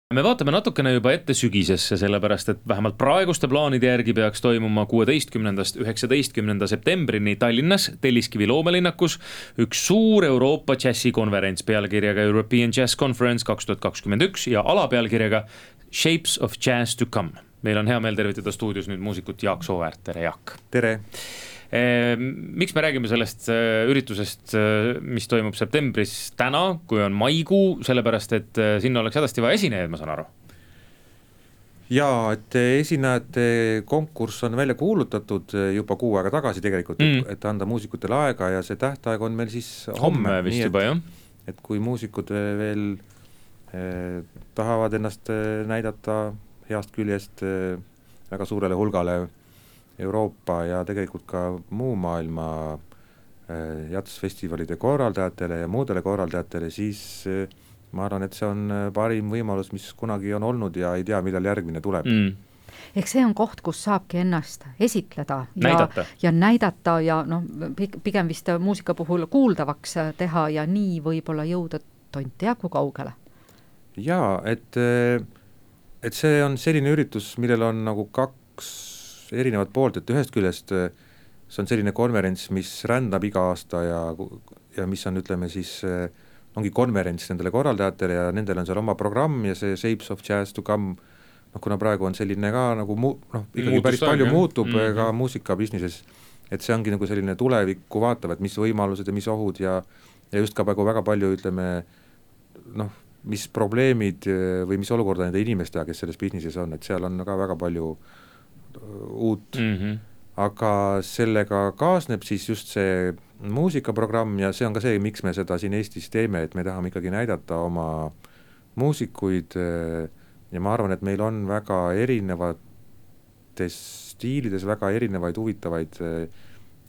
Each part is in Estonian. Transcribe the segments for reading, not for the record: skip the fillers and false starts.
Me vaatame natukene juba ette sügisesse, sellepärast et vähemalt praeguste plaanide järgi peaks toimuma 16.–19. septembrini Tallinnas Telliskivi loomelinnakus üks suur Euroopa džässikonverents pealkirjaga European Jazz Conference 2021 ja alapealkirjaga Shapes of Jazz to Come. Meil on hea meel tervitada stuudios nüüd muusikut Jaak Sooväärt. Tere, Jaak! Tere! Miks me räägime sellest üritusest, mis toimub septembris täna, kui on maikuu, sellepärast et sinna oleks hädasti vaja esinejaid, ma saan aru? Jaa, et esinejate konkurss on välja kuulutatud juba kuu aega tagasi tegelikult, et anda muusikutele aega ja see tähtaeg on meil siis homme vist juba, jah. Et kui muusikud veel tahavad ennast näidata heast küljest väga suurele hulgale Euroopa ja tegelikult ka muu maailma jatsfestivalide korraldajatele ja muudele korraldajatele, siis ma arvan, et see on parim võimalus, mis kunagi on olnud ja ei tea, millal järgmine tuleb. Ehk see on koht, kus saabki ennast esitleda ja näidata ja pigem vist muusika puhul kuuldavaks teha ja nii võib-olla jõuda tont tea kui kaugele. Jaa, et see on selline üritus, millel on nagu kaks erinevad poolt, et ühest küljest see on selline konverents, mis rändab iga aasta ja mis on, ütleme siis, ongi konverents nendele korraldajatele ja nendel on seal oma programm ja see Shapes of Jazz to Come, kuna praegu on selline ka nagu ikkagi päris palju muutub ka muusikabusinesses, et see ongi nagu selline tulevikku vaatav, et mis võimalused ja mis ohud ja just ka väga palju, ütleme, mis probleemid või mis olukorda nende inimestega, kes selles businesses on, et seal on ka väga palju uut, aga sellega kaasneb siis just see muusikaprogramm ja see on ka see, miks me seda siin Eestis teeme, et me tahame ikkagi näidata oma muusikuid ja ma arvan, et meil on väga erinevates stiilides väga erinevaid huvitavaid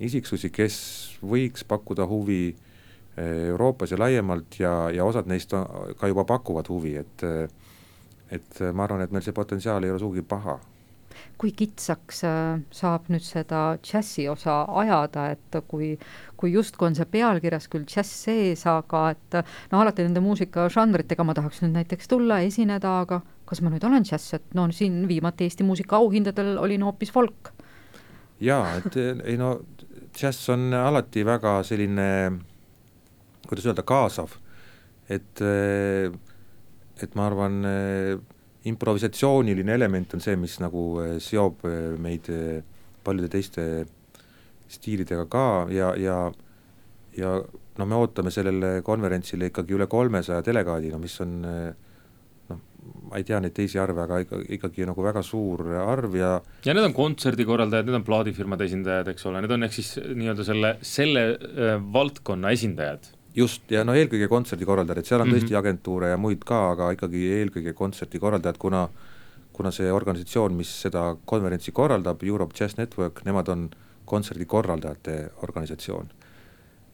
isiksusi, kes võiks pakkuda huvi Euroopas ja laiemalt ja osad neist ka juba pakuvad huvi, et ma arvan, et meil see potentsiaal ei ole sugugi paha. Kui kitsaks saab nüüd seda džässi osa ajada, et kui justkui on see pealkirjas küll džäss sees, aga et alati nende muusikažanritega ma tahaks nüüd näiteks tulla, esineda, aga kas ma nüüd olen džäss, et siin viimati Eesti muusika auhindadel olin hoopis folk. Jaa, et džäss on alati väga selline, kuidas öelda, kaasav, et ma arvan, improvisatsiooniline element on see, mis nagu seob meid paljude teiste stiilidega ka ja me ootame sellele konverentsile ikkagi üle 300 delegaadi, mis on, ma ei tea neid teisi arve, aga ikkagi nagu väga suur arv ja need on kontserdikorraldajad, need on plaadifirmade esindajad, eks ole, need on ehk siis nii-öelda selle valdkonna esindajad. Just, ja eelkõige kontserdikorraldajad, et seal on tõesti agentuure ja muid ka, aga ikkagi eelkõige kontserdikorraldajad, kuna see organisatsioon, mis seda konverentsi korraldab, Europe Jazz Network, nemad on kontserdikorraldajate organisatsioon.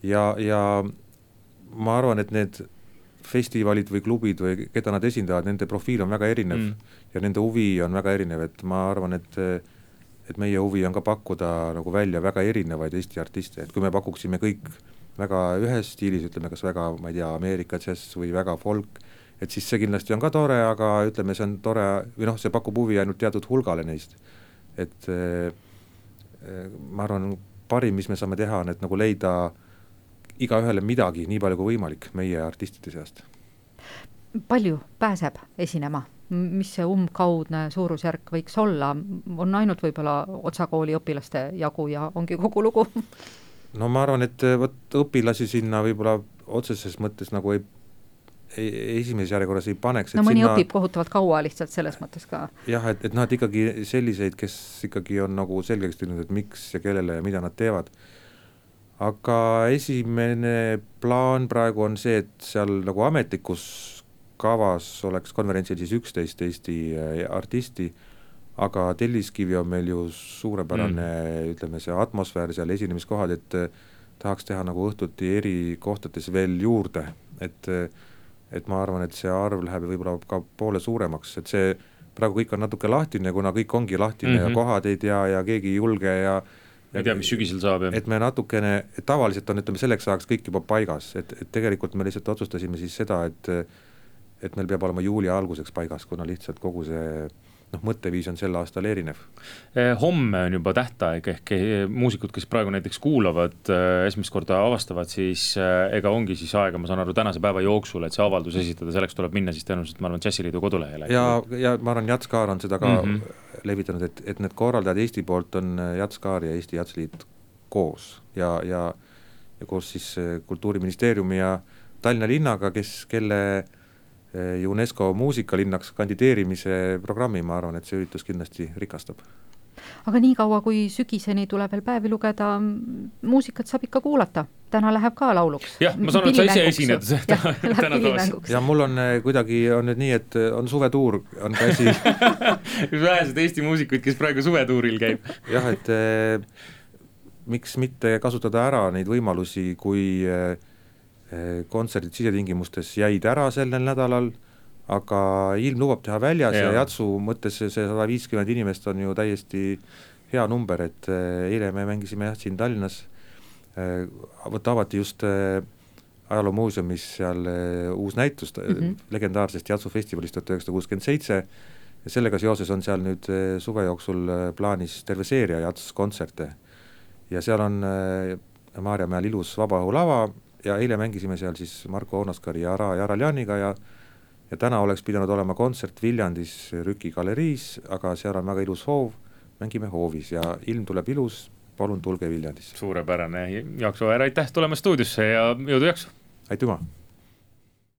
Ja ma arvan, et need festivalid või klubid või keda nad esindavad, nende profiil on väga erinev ja nende huvi on väga erinev, et ma arvan, et meie huvi on ka pakkuda nagu välja väga erinevaid Eesti artiste, et kui me pakuksime kõik väga ühes stiilis, ütleme kas väga, ma ei tea, Ameerika džäss või väga folk, et siis see kindlasti on ka tore, aga ütleme, see on tore või see pakub huvi ainult teatud hulgale neist. Et ma arvan, parim, mis me saame teha, on, et nagu leida iga ühele midagi nii palju kui võimalik meie artistide seast. Palju pääseb esinema? Mis see umbkaudne suurusjärk võiks olla? On ainult võib-olla otsakooli õpilaste jagu ja ongi kogu lugu? No ma arvan, et õpilasi sinna võib-olla otseses mõttes nagu esimeses järjekorras ei paneks. Mõni õpib kohutavalt kaua lihtsalt selles mõttes ka. Jah, et nad ikkagi selliseid, kes ikkagi on nagu selgeks teinud, et miks ja kellele ja mida nad teevad. Aga esimene plaan praegu on see, et seal nagu ametlikus kavas oleks konverentsil siis 11 Eesti artisti, aga Telliskivi on meil ju suurepärane, ütleme see atmosfäär seal esinemiskohad, et tahaks teha nagu õhtuti eri kohtades veel juurde, et ma arvan, et see arv läheb võib-olla ka poole suuremaks, et see praegu kõik on natuke lahtine, kuna kõik ongi lahtine ja kohad ei tea ja keegi ei julge ja ei tea, mis sügisel saab. Et me natukene, et tavaliselt on, ütleme, selleks ajaks kõik juba paigas, et tegelikult me lihtsalt otsustasime siis seda, et meil peab olema juuli alguseks paigas, kuna lihtsalt kogu see mõtteviis on sel aastal erinev. Homme on juba tähtaeg, ehk muusikud, kes praegu näiteks kuulavad, esimest korda avastavad, siis ega ongi siis aega, ma saan aru, tänase päeva jooksul, et see avaldus esitada, selleks tuleb minna siis tõenäoliselt, ma arvan, Jazziliidu kodulehele. Ja ma arvan, Jatskaar on seda ka levitanud, et need korraldajad Eesti poolt on Jatskaar ja Eesti Jatsliit koos ja koos siis Kultuuriministeeriumi ja Tallinna linnaga, kelle UNESCO muusikalinnaks kandideerimise programmi, ma arvan, et see üritus kindlasti rikastab. Aga nii kaua, kui sügiseni tuleb veel päevi lugeda, muusikat saab ikka kuulata. Täna läheb ka lauluks. Jah, ma saan, et sa ise esined täna toos. Ja mul on kuidagi on nüüd nii, et on suvetuur, on käsi. Vähesed Eesti muusikuid, kes praegu suvetuuril käib. Jah, et miks mitte kasutada ära neid võimalusi, kui kontserdid sisetingimustes jäid ära sellel nädalal, aga ilm lubab teha väljas ja Jatsu mõttes see 150 inimest on ju täiesti hea number, et eile me mängisime siin Tallinnas, avati just ajaloomuuseumis seal uus näitus legendaarsest Jatsu festivalist 1967 ja sellega seoses on seal nüüd suve jooksul plaanis terve seeria Jats kontserte ja seal on Maarjamäel ilus vabaõhulava ja eile mängisime seal siis Marko Oonaskari ja Araljaniga ja täna oleks pidanud olema kontsert Viljandis Rüki galeriis, aga seal on väga ilus hoov, mängime hoovis ja ilm tuleb ilus, palun tulge Viljandis. Suurepärane, Jaak Sooäär, aitäh tulemast stuudiosse ja jõudu jaksu! Aitüma!